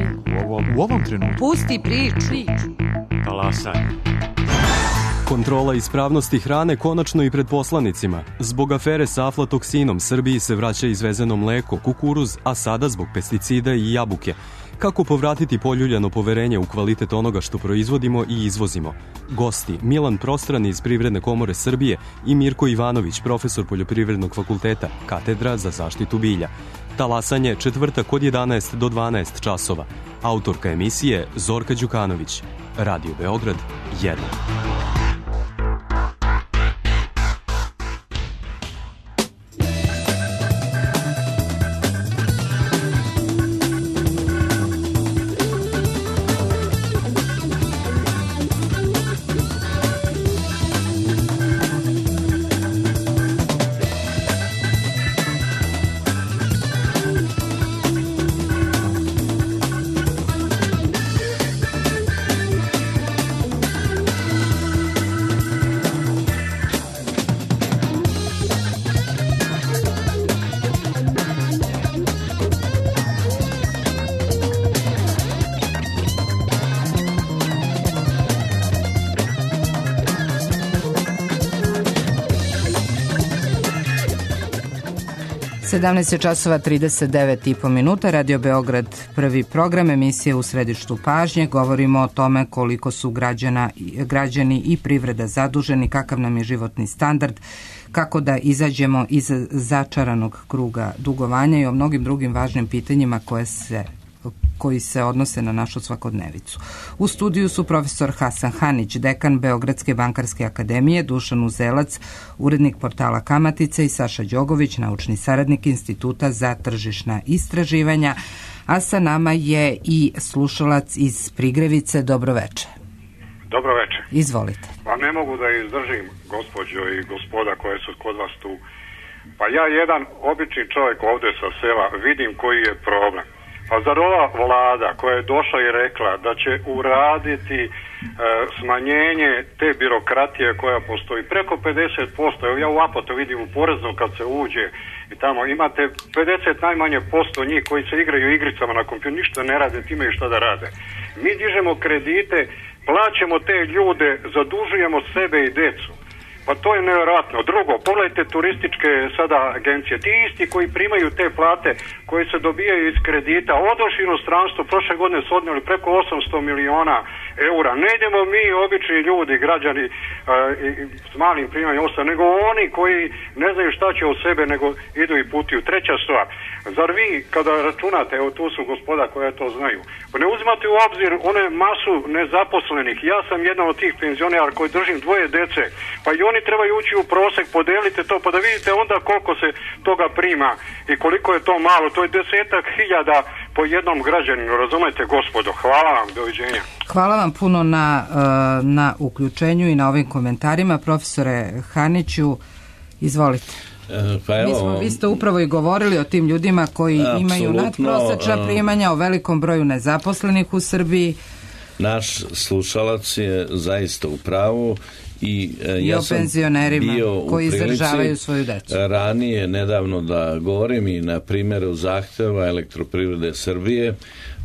U ovom trenutku. Pusti priču. Talasan. Kontrola ispravnosti hrane konačno i pred poslanicima. Zbog afere sa aflatoksinom Srbiji se vraća izvezeno mleko, kukuruz, a sada zbog pesticida i jabuke. Kako povratiti poljuljano poverenje u kvalitet onoga što proizvodimo i izvozimo? Gosti Milan Prostrani iz Privredne komore Srbije i Mirko Ivanović, profesor Poljoprivrednog fakulteta, katedra za zaštitu bilja. Talasanje četvrtak od 11 do 12 časova. Autorka emisije Zorka Đukanović. Radio Beograd 1. časova 39,5 minuta, Radio Beograd, prvi program, emisije u središtu pažnje. Govorimo o tome koliko su građani i privreda zaduženi, kakav nam je životni standard, kako da izađemo iz začaranog kruga dugovanja i o mnogim drugim važnim pitanjima koji se odnose na našu svakodnevicu. U studiju su profesor Hasan Hanić, dekan Beogradske bankarske akademije, Dušan Uzelac, urednik portala Kamatica i Saša Đogović, naučni saradnik Instituta za tržišna istraživanja, a sa nama je i slušalac iz Prigrevice. Dobro veče. Dobro veče. Izvolite. Pa ne mogu da izdržim, gospođo i gospoda koje su kod vas tu. Pa ja, jedan obični čovjek ovdje sa sela, vidim koji je problem. Pa zar ova vlada koja je došla i rekla da će uraditi smanjenje te birokratije koja postoji preko 50%, evo ja u Apotu vidim u porezno kad se uđe i tamo imate 50 najmanje posto njih koji se igraju igricama na kompjuteru, ništa ne rade, time i šta da rade. Mi dižemo kredite, plaćamo te ljude, zadužujemo sebe i decu. Pa to je nevjerojatno. Drugo, pogledajte turističke sada agencije. Ti isti koji primaju te plate koje se dobijaju iz kredita, odošli u inostranstvo, prošle godine su odnijeli preko 800 miliona eura. Ne idemo mi, obični ljudi, građani s malim primanjem osam, nego oni koji ne znaju šta će od sebe, nego idu i putuju. Treća stvar, zar vi kada računate, evo tu su gospoda koja to znaju, ne uzimate u obzir one masu nezaposlenih. Ja sam jedan od tih penzionera koji držim dvoje dece, pa i oni trebaju ući u prosek, podelite to, pa da vidite onda koliko se toga prima i koliko je to malo. To je 10.000 po jednom građaninu, razumete gospodo. Hvala vam, doviđenja. Hvala vam puno na uključenju i na ovim komentarima. Profesore Haniću, izvolite. Pa evo, vi ste upravo i govorili o tim ljudima koji imaju nadprosečna primanja, o velikom broju nezaposlenih u Srbiji. Naš slušalac je zaista u pravu. I ja o penzionerima koji izdržavaju svoju decu. Ranije, nedavno da govorim i na primjeru zahtjeva Elektroprivrede Srbije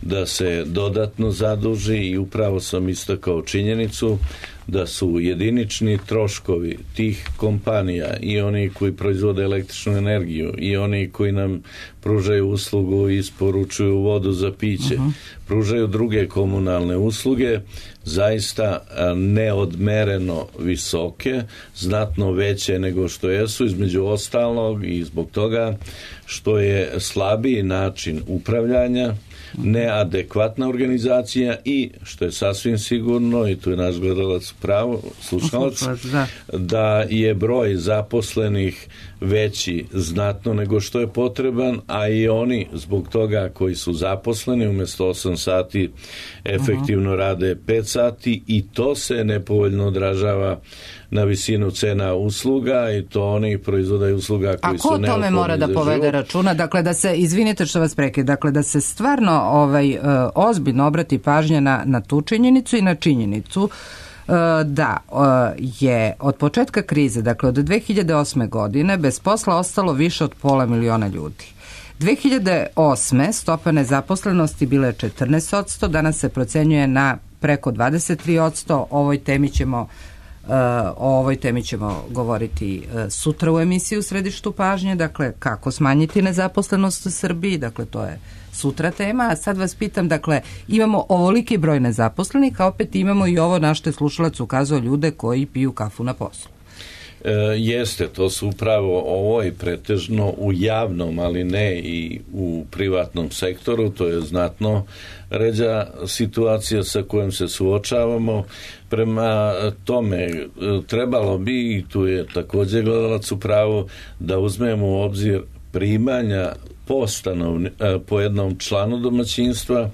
da se dodatno zaduži i upravo sam istakao činjenicu da su jedinični troškovi tih kompanija i oni koji proizvode električnu energiju i oni koji nam pružaju uslugu i isporučuju vodu za piće, pružaju druge komunalne usluge, zaista neodmereno visoke, znatno veće nego što jesu, između ostalog i zbog toga što je slabiji način upravljanja, neadekvatna organizacija i, što je sasvim sigurno, i tu je naš gledalac pravo, slušalac, da je broj zaposlenih veći znatno nego što je potreban, a i oni zbog toga koji su zaposleni umjesto 8 sati efektivno rade 5 sati i to se nepovoljno odražava na visinu cena usluga i to oni proizvodaju usluga koji su neophodni. A ko tome mora da povede računa? Dakle, da se, izvinite što vas prekid, dakle da se stvarno ozbiljno obrati pažnja na tu činjenicu i na činjenicu da je od početka krize, dakle od 2008. godine, bez posla ostalo više od 500.000 ljudi. 2008. stopa nezaposlenosti bila je 14%, danas se procenjuje na preko 23%. Ovoj temi ćemo O ovoj temi ćemo govoriti sutra u emisiji u Središtu pažnje, dakle kako smanjiti nezaposlenost u Srbiji, dakle to je sutra tema, a sad vas pitam, dakle imamo ovoliki broj nezaposlenih, a opet imamo i ovo na što je slušalac ukazao, ljude koji piju kafu na poslu. Jeste, to su upravo ovo i pretežno u javnom, ali ne i u privatnom sektoru, to je znatno ređa situacija sa kojom se suočavamo. Prema tome, trebalo bi, i tu je također gledalac u pravu, da uzmemo u obzir primanja po jednom članu domaćinstva.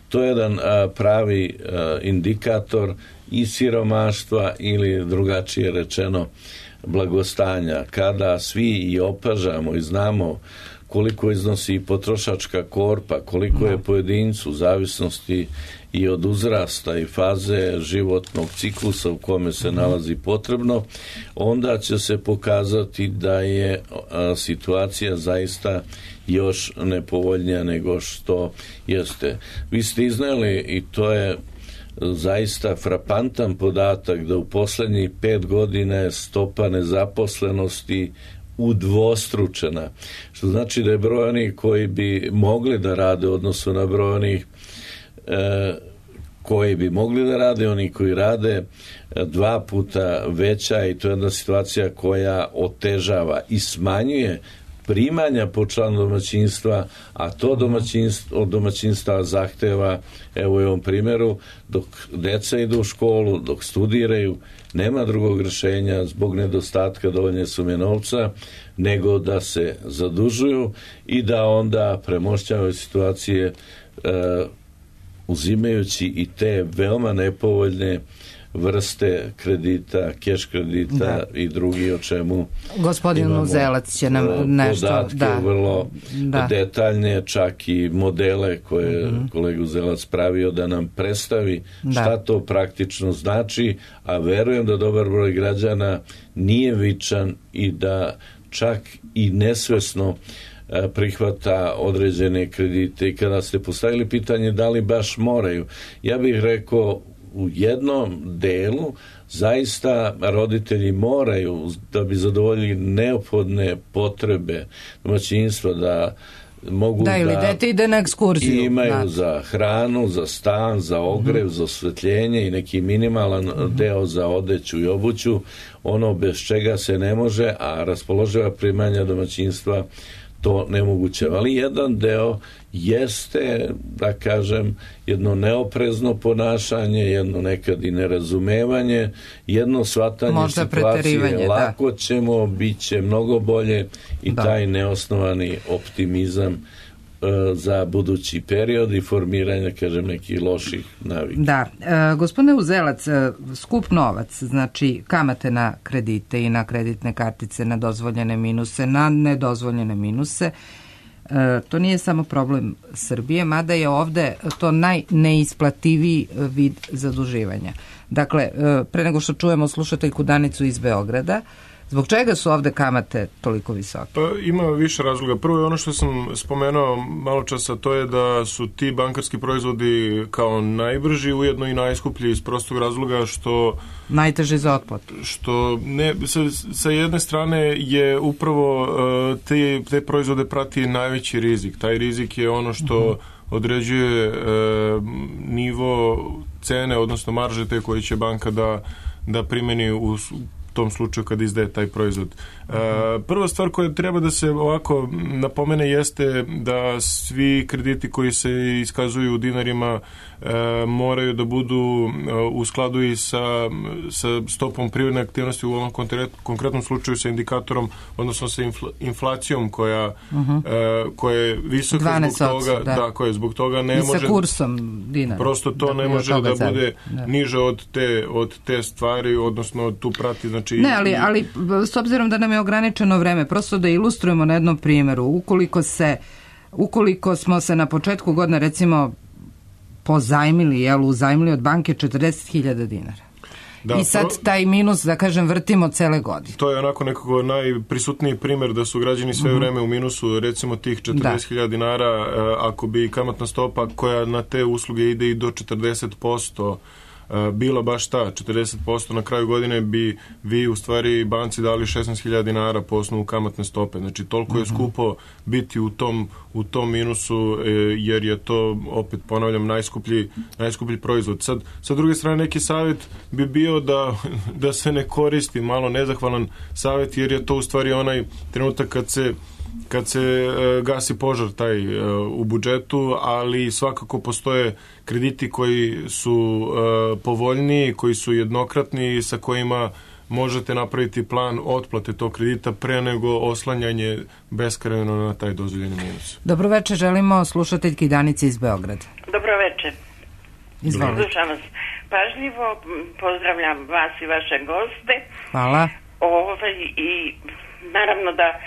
To je jedan pravi indikator i siromaštva ili drugačije rečeno blagostanja. Kada svi i opažamo i znamo koliko iznosi potrošačka korpa, koliko je pojedincu u zavisnosti i od uzrasta i faze životnog ciklusa u kome se nalazi potrebno, onda će se pokazati da je situacija zaista još nepovoljnija nego što jeste. Vi ste iznijeli, i to je zaista frapantan podatak, da u posljednjih 5 godina je stopa nezaposlenosti udvostručena, što znači da je broj onih koji bi mogli da rade u odnosu na broj onih koji bi mogli da rade, oni koji rade 2 puta veća, i to je jedna situacija koja otežava i smanjuje primanja po članu domaćinstva, a to od domaćinstva zahteva, evo u ovom primjeru, dok deca idu u školu, dok studiraju, nema drugog rješenja zbog nedostatka dovoljne sume novca, nego da se zadužuju i da onda premošćavaju situacije uzimajući i te veoma nepovoljne vrste kredita, keš kredita i drugi, o čemu gospodin Uzelac će nam nešto podatke vrlo detaljne, čak i modele koje kolega Uzelac pravio da nam predstavi šta to praktično znači, a verujem da dobar broj građana nije vičan i da čak i nesvesno prihvata određene kredite. I kada ste postavili pitanje da li baš moraju, ja bih rekao u jednom delu zaista roditelji moraju, da bi zadovoljili neophodne potrebe domaćinstva, da mogu ili dete ide na ekskurziju, imaju za hranu, za stan, za ogrev, za osvetljenje i neki minimalan deo za odeću i obuću, ono bez čega se ne može, a raspoloživa primanja domaćinstva to nemoguće. Ali jedan deo jeste, da kažem, jedno neoprezno ponašanje, jedno nekad i nerazumevanje, jedno shvatanje situacije, lako ćemo, bit će mnogo bolje, i taj neosnovani optimizam za budući period i formiranje, kažem, nekih loših navika. Da, gospodine Uzelac, skup novac, znači kamate na kredite i na kreditne kartice, na dozvoljene minuse, na nedozvoljene minuse, to nije samo problem Srbije, mada je ovde to najneisplativiji vid zaduživanja. Dakle, pre nego što čujemo slušateljku Danicu iz Beograda, zbog čega su ovde kamate toliko visoke? Pa ima više razloga. Prvo je ono što sam spomenuo malo časa, to je da su ti bankarski proizvodi kao najbrži, ujedno i najskuplji, iz prostog razloga što najteže za otplatu. Što ne, sa jedne strane je upravo te proizvode prati najveći rizik. Taj rizik je ono što određuje nivo cene, odnosno marže te koje će banka da primeni u tom slučaju kad izdaje taj proizvod. Prva stvar koja treba da se ovako napomene jeste da svi krediti koji se iskazuju u dinarima moraju da budu u skladu i sa stopom privredne aktivnosti, u ovom konkretnom slučaju sa indikatorom, odnosno sa inflacijom koja je visoka zbog toga, koja zbog toga ne može, i sa kursom dinara. Prosto to ne može da bude niže od te stvari, odnosno tu prati, znači... Ne, ali s obzirom da nam je ograničeno vreme, prosto da ilustrujemo na jednom primjeru, ukoliko smo se na početku godine recimo uzajmili od banke 40.000 dinara. I sad taj minus, da kažem, vrtimo cele godine. To je onako nekako najprisutniji primjer da su građani sve vreme u minusu, recimo tih 40.000 dinara, ako bi kamatna stopa koja na te usluge ide i do 40%, bila baš ta 40%, na kraju godine bi vi u stvari banci dali 16.000 dinara po osnovu kamatne stope. Znači toliko je skupo biti u tom minusu, jer je to, opet ponavljam, najskuplji proizvod. Sad, sa druge strane, neki savjet bi bio da se ne koristi, malo nezahvalan savjet, jer je to u stvari onaj trenutak kad se gasi požar taj u budžetu, ali svakako postoje krediti koji su povoljniji, koji su jednokratni, sa kojima možete napraviti plan otplate tog kredita pre nego oslanjanje beskrajno na taj dozvoljeni minus. Dobro večer, želimo slušateljki Danice iz Beograda. Dobro večer. Izvolite. Slušam vas pažljivo, pozdravljam vas i vaše goste. Hvala. I naravno da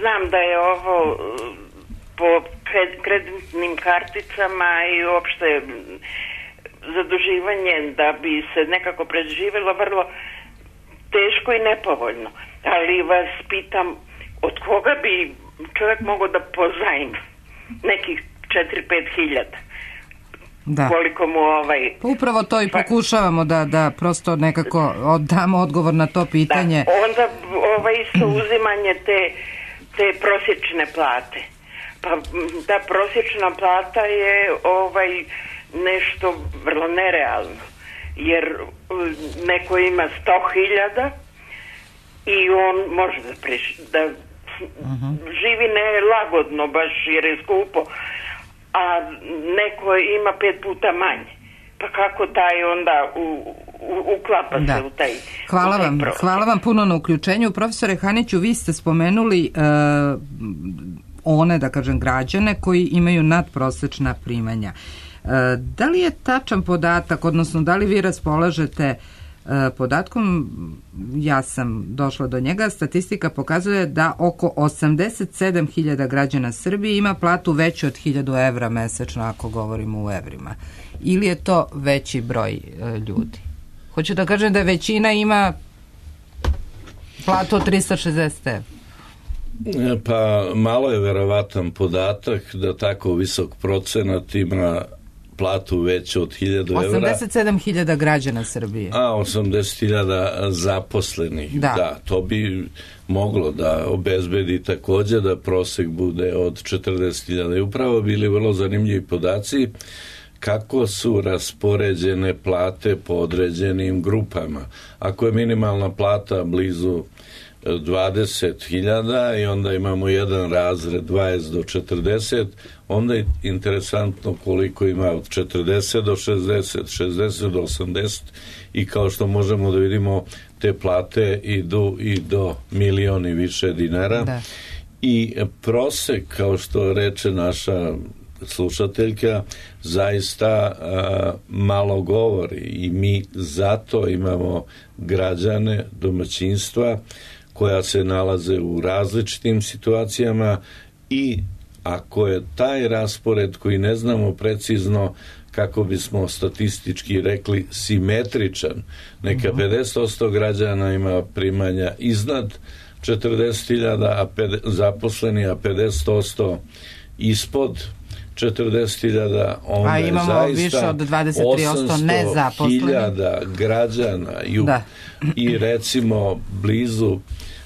znam da je ovo po kreditnim karticama i uopšte zaduživanje da bi se nekako preživjelo vrlo teško i nepovoljno. Ali vas pitam, od koga bi čovjek mogao da pozajmi nekih 4-5 hiljada? Da. Koliko mu Upravo to i pokušavamo da prosto nekako damo odgovor na to pitanje. Da, onda isto uzimanje te prosječne plate. Pa ta prosječna plata je nešto vrlo nerealno. Jer neko ima 100.000 i on može da živi nelagodno baš jer je skupo, a neko ima 5 puta manje. Pa kako taj onda uklapa se u taj Hvala vam puno na uključenju. Profesore Haniću, vi ste spomenuli one, da kažem, građane koji imaju nadprosečna primanja. Da li je tačan podatak, odnosno da li vi raspolažete podatkom, ja sam došla do njega, statistika pokazuje da oko 87.000 građana Srbije ima platu veću od 1.000 evra mesečno, ako govorimo u evrima. Ili je to veći broj ljudi? Hoću da kažem da većina ima platu od 360 evra. Pa malo je verovatan podatak da tako visok procenat ima platu veću od 1.000 evra. 87.000 građana Srbije. A 80.000 zaposlenih. Da, to bi moglo da obezbedi također da prosek bude od 40.000. I upravo bili vrlo zanimljivi podaci kako su raspoređene plate po određenim grupama. Ako je minimalna plata blizu 20.000 i onda imamo jedan razred 20 do 40, onda je interesantno koliko ima od 40 do 60, 60 do 80 i kao što možemo da vidimo, te plate idu i do milion i više dinara. Da. I prosek, kao što reče naša slušateljka, zaista malo govori i mi zato imamo građane, domaćinstva koja se nalaze u različitim situacijama i ako je taj raspored koji ne znamo precizno, kako bismo statistički rekli, simetričan, neka 50% građana ima primanja iznad 40.000 a zaposleni, a 50% ispod 40.000, onda je zaista više od 23% nezaposlenih 800.000 građana i recimo blizu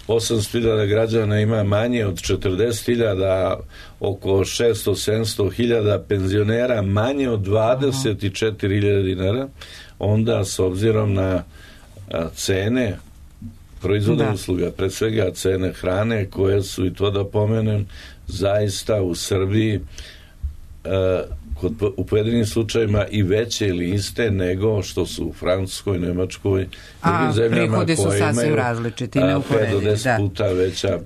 800.000 građana ima manje od 40.000, oko 600-700.000 penzionera manje od 24.000 dinara, onda s obzirom na cene proizvoda usluga, pred svega cene hrane koje su, i to da pomenem, zaista u Srbiji u pojedinim slučajima i veće ili iste nego što su u Francuskoj, Nemačkoj, drugim zemljama prihodi su sasvim različiti, neuporedivi. 5 do 10 puta veća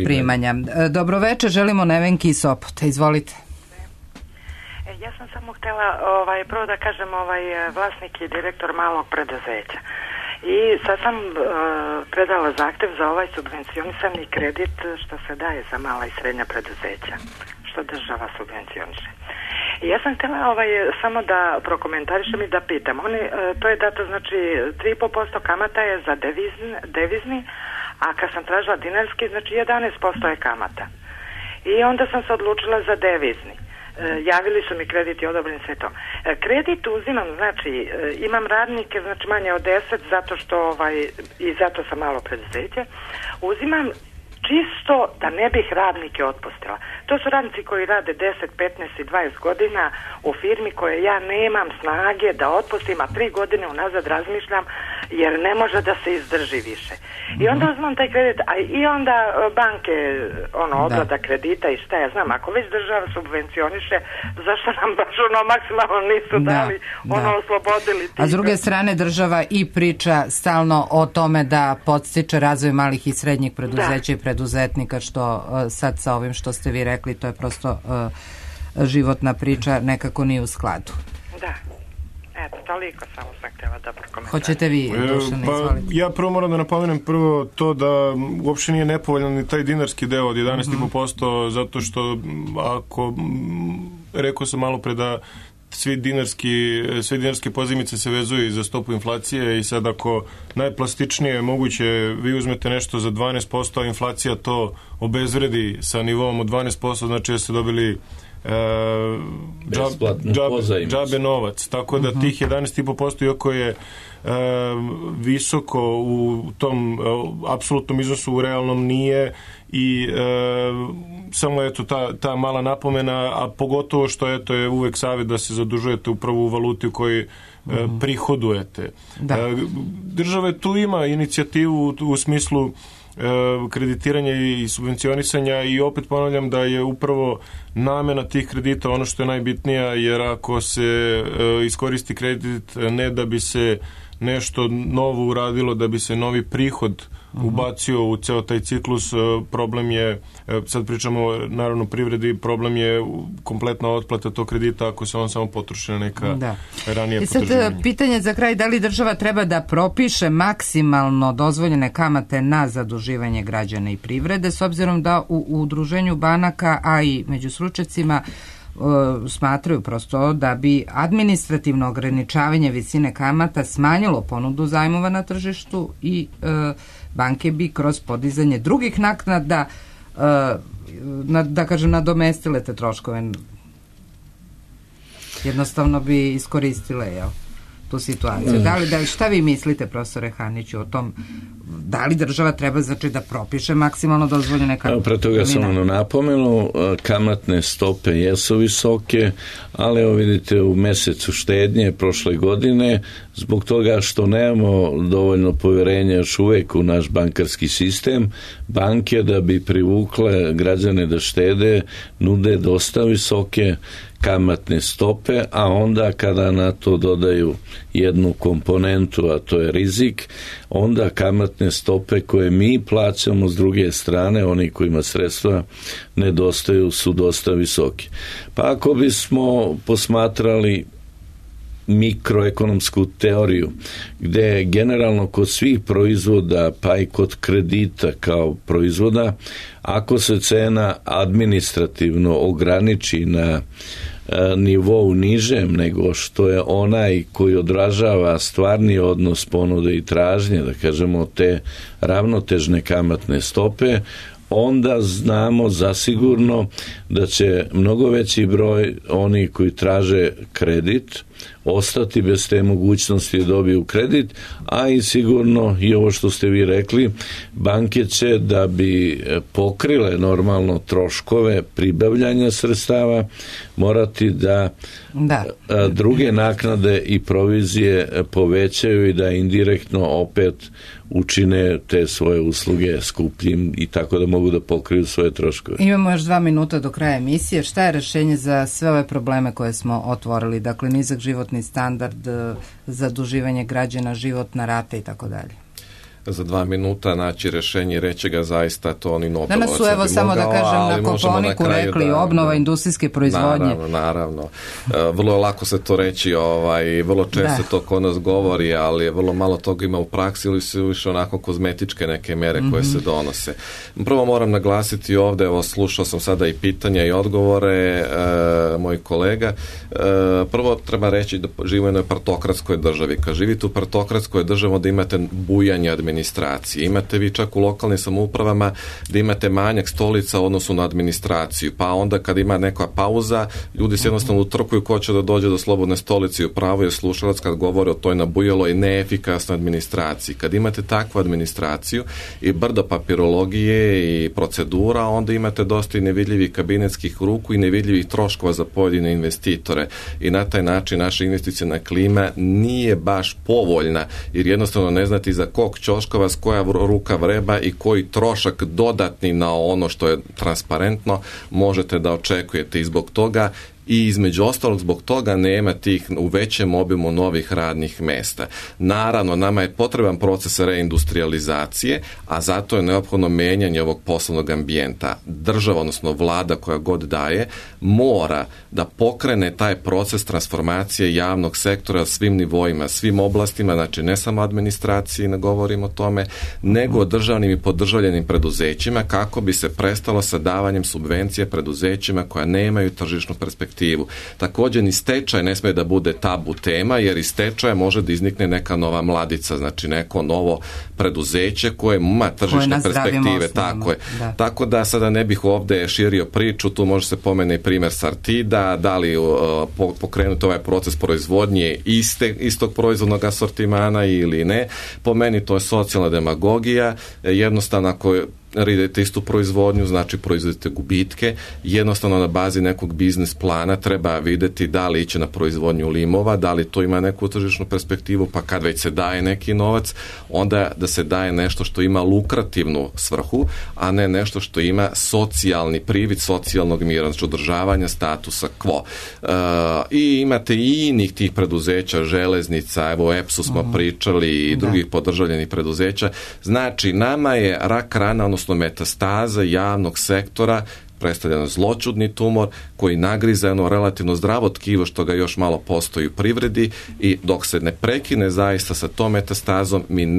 primanja. Dobro večer, želimo Nevenki iz Sopota. Izvolite. Ja sam samo htjela prvo da kažem, vlasnik i direktor malog preduzeća. I sad sam predala zahtjev za ovaj subvencionisani kredit što se daje za mala i srednja preduzeća, što država subvencioniše. I ja sam htjela samo da prokomentarišem i da pitam. To je dato, znači 3,5% kamata je za devizni, a kad sam tražila dinarski, znači 11% je kamata. I onda sam se odlučila za devizni. javili su mi kredit i odobren sve to. Kredit uzimam, znači imam radnike, znači manje od 10, zato što i zato sam malo preduzeće. Uzimam čisto da ne bih radnike otpustila. To su radnici koji rade 10, 15 i 20 godina u firmi koje ja nemam snage da otpustim, a 3 godine unazad razmišljam jer ne može da se izdrži više. I onda uzmem taj kredit, a i onda banke, obrada kredita i šta ja znam, ako već država subvencioniše, zašto nam baš maksimalno nisu dali, oslobodili. A s druge strane država i priča stalno o tome da podstiče razvoj malih i srednjih preduzeća i preduzetnika, što sad sa ovim što ste vi rekli, to je prosto životna priča, nekako nije u skladu. Da. Eto, toliko samo sam htjela da prokomentariš. Hoćete vi, Dušan, izvolite? Ja prvo moram da napomenem to da uopšte nije nepovoljan ni taj dinarski deo od 11,5%, zato što ako, rekao sam malo pre da sve dinarske pozajmice se vezuju za stopu inflacije i sad ako najplastičnije moguće vi uzmete nešto za 12%, a inflacija to obezvredi sa nivom od 12%, znači da ste dobili džabe novac, tako da tih 11,5% iako je visoko u tom apsolutnom iznosu, u realnom nije, i samo eto ta mala napomena, a pogotovo što eto je uvek savjet da se zadužujete upravo u valuti u kojoj prihodujete. Država tu ima inicijativu u smislu kreditiranja i subvencionisanja, i opet ponavljam da je upravo namena tih kredita ono što je najbitnija, jer ako se iskoristi kredit ne da bi se nešto novo uradilo, da bi se novi prihod ubacio u ceo taj ciklus, problem je, sad pričamo naravno privredi, problem je kompletna otplata tog kredita ako se on samo potroši na neka ranija potraživanja. I sad pitanje za kraj, da li država treba da propiše maksimalno dozvoljene kamate na zaduživanje građana i privrede, s obzirom da u udruženju banaka, a i među stručnjacima smatraju prosto da bi administrativno ograničavanje visine kamata smanjilo ponudu zajmova na tržištu i banke bi kroz podizanje drugih naknada da kažem nadomestile te troškove, jednostavno bi iskoristile tu situaciju. Šta vi mislite, profesore Haniću, o tom, da li država treba znači da propiše maksimalno dozvoljene kamate? Pre toga sam napomenuo, kamatne stope jesu visoke, ali evo vidite u mesecu štednje prošle godine, zbog toga što nemamo dovoljno povjerenja još uvijek u naš bankarski sistem, banke da bi privukle građane da štede nude dosta visoke kamatne stope, a onda kada na to dodaju jednu komponentu, a to je rizik, onda kamatne stope koje mi plaćamo s druge strane, oni kojima sredstva nedostaju, su dosta visoki. Pa ako bismo posmatrali mikroekonomsku teoriju, gdje generalno kod svih proizvoda, pa i kod kredita kao proizvoda, ako se cena administrativno ograniči na nivou nižem nego što je onaj koji odražava stvarni odnos ponude i tražnje, da kažemo te ravnotežne kamatne stope, onda znamo zasigurno da će mnogo veći broj onih koji traže kredit ostati bez te mogućnosti da dobiju kredit, a i sigurno i ovo što ste vi rekli, banke će da bi pokrile normalno troškove pribavljanja sredstava morati da druge naknade i provizije povećaju i da indirektno opet učine te svoje usluge skupljim i tako da mogu da pokriju svoje troškove. Imamo još 2 minuta do kraja emisije. Šta je rešenje za sve ove probleme koje smo otvorili? Dakle, nizak životni standard, zaduživanje građana, životna rata i tako dalje. Za 2 minuta naći rešenje, reći ga zaista to ni Nobelovac. Danas su, evo samo da kažem, na Kopaoniku rekli obnova industrijske proizvodnje. Naravno. Vrlo je lako se to reći, vrlo često to kod nas govori, ali vrlo malo toga ima u praksi ili su više onako kozmetičke neke mere koje se donose. Prvo moram naglasiti ovde, evo slušao sam sada i pitanja i odgovore mojih kolega. Prvo treba reći da živimo u jednoj partokratskoj državi. Kad živite u partokratskoj državi da imate bujanje administracije administracije. Imate vi čak u lokalnim samoupravama da imate manjak stolica u odnosu na administraciju, pa onda kad ima neka pauza, ljudi se jednostavno utrkuju ko će da dođe do slobodne stolice i upravo je slušalac kad govore o toj nabujeloj neefikasnoj administraciji. Kad imate takvu administraciju i brdo papirologije i procedura, onda imate dosta i nevidljivih kabinetskih ruku i nevidljivih troškova za pojedine investitore i na taj način naša investiciona klima nije baš povoljna, jer jednostavno ne znate iza kog ćoška vas koja ruka vreba i koji trošak dodatni na ono što je transparentno možete da očekujete i zbog toga i između ostalog zbog toga nema tih u većem obimu novih radnih mesta. Naravno, nama je potreban proces reindustrializacije, a zato je neophodno menjanje ovog poslovnog ambijenta. Država, odnosno vlada koja god daje, mora da pokrene taj proces transformacije javnog sektora svim nivoima, svim oblastima, znači ne samo administraciji, ne govorim o tome, nego o državnim i podržavljenim preduzećima kako bi se prestalo sa davanjem subvencije preduzećima koja nemaju tržišnu perspektivu. Također ni stečaj ne sme da bude tabu tema, jer iz stečaja može da iznikne neka nova mladica, znači neko novo preduzeće koje ima tržišne perspektive. Tako je. Da. Tako da sada ne bih ovde širio priču, tu može se pomene i primjer Sartida, da li pokrenuti ovaj proces proizvodnje istog proizvodnog asortimana ili ne. Po meni to je socijalna demagogija, jednostavno ako radite istu proizvodnju, znači proizvodite gubitke, jednostavno na bazi nekog biznis plana treba videti da li iće na proizvodnju limova, da li to ima neku tržišnu perspektivu, pa kad već se daje neki novac, onda da se daje nešto što ima lukrativnu svrhu, a ne nešto što ima socijalni privid socijalnog mira, znači održavanja statusa quo. I imate i inih tih preduzeća, železnica, evo EPS-u smo pričali i drugih podržavljenih preduzeća. Znači, nama je rak rana, odnosno metastaza javnog sektora predstavlja zloćudni tumor koji nagriza jedno relativno zdravo tkivo što ga još malo postoji u privredi i dok se ne prekine zaista sa tom metastazom mi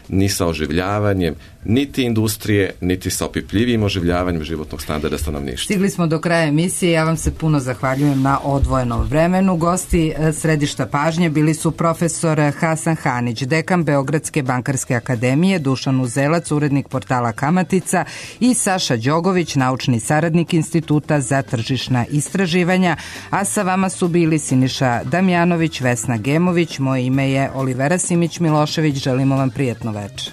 ni sa oživljavanjem niti industrije, niti sa opipljivijim oživljavanjem životnog standarda stanovništva. Stigli smo do kraja emisije, ja vam se puno zahvaljujem na odvojenom vremenu. Gosti središta pažnje bili su profesor Hasan Hanić, dekan Beogradske bankarske akademije, Dušan Uzelac, urednik portala Kamatica i Saša Đogović, naučni saradnik Instituta za tržišna istraživanja, a sa vama su bili Siniša Damjanović, Vesna Gemović, moje ime je Olivera Simić Milošević, želimo vam prijatno večer.